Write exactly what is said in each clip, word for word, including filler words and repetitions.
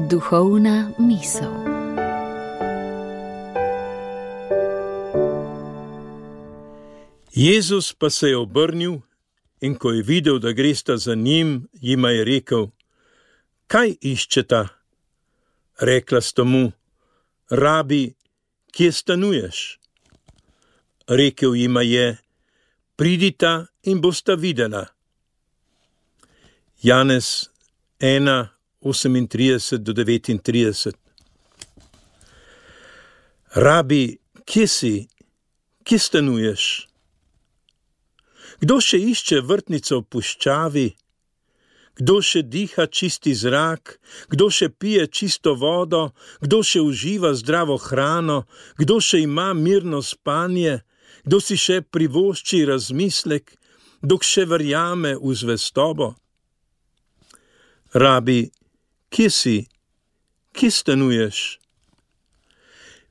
Duhovna misel. Jezus pa se je obrnil in ko je videl, da gresta za njim, jima je rekel: Kaj iščeta? Rekla sta mu: Rabi, kje stanuješ? Rekel jima je: Pridita in bosta videla. Janez ena, osemintrideset do devetintrideset. Rabi, kje si? Kje stanuješ? Kdo še išče vrtnico v puščavi? Kdo še diha čisti zrak? Kdo še pije čisto vodo? Kdo še uživa zdravo hrano? Kdo še ima mirno spanje? Kdo si še privošči razmislek, dok še verjame v zvestobo? Rabi, kje si? Kje stanuješ?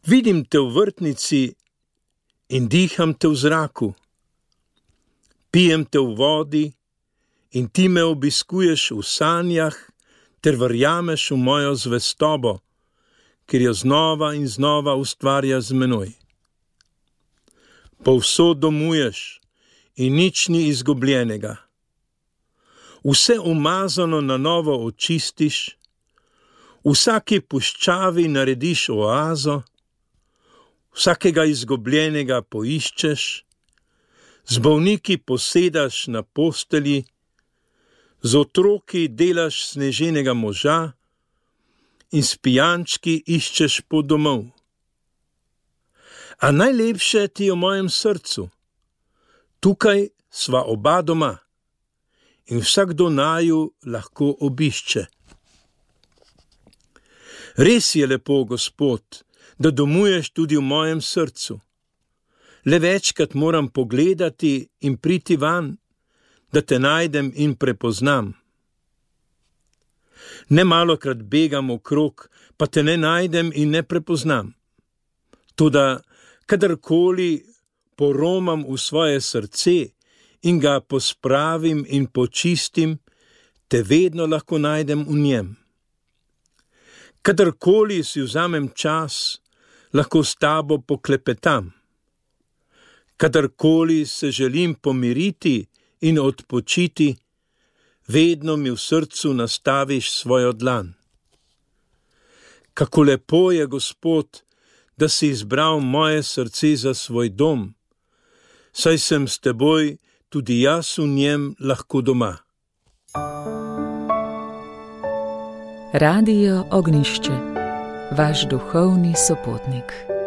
Vidim te v vrtnici in diham te v zraku. Pijem te v vodi in ti me obiskuješ v sanjah ter verjameš v mojo zvestobo, ker jo znova in znova ustvarja z menoj. Povsod domuješ in nič ni izgubljenega. Vse umazano na novo očistiš, v vsaki puščavi narediš oazo, vsakega izgubljenega poiščeš, z bolniki posedaš na postelji, z otroki delaš sneženega moža in s pijančki iščeš pot domov. A najlepše ti je v mojem srcu. Tukaj sva oba doma in vsakdo naju lahko obišče. Res je lepo, Gospod, da domuješ tudi v mojem srcu. Le večkrat moram pogledati in priti van, da te najdem in prepoznam. Nemalokrat begam okrog, pa te ne najdem in ne prepoznam. Toda kadarkoli poromam v svoje srce in ga pospravim in počistim, te vedno lahko najdem v njem. Kadarkoli si vzamem čas, lahko s tabo poklepetam. Kadarkoli se želim pomiriti in odpočiti, vedno mi v srcu nastaviš svojo dlan. Kako lepo je, Gospod, da si izbral moje srce za svoj dom, saj sem s teboj tudi jaz v njem lahko doma. Radio Ognjišče, vaš duhovni sopotnik.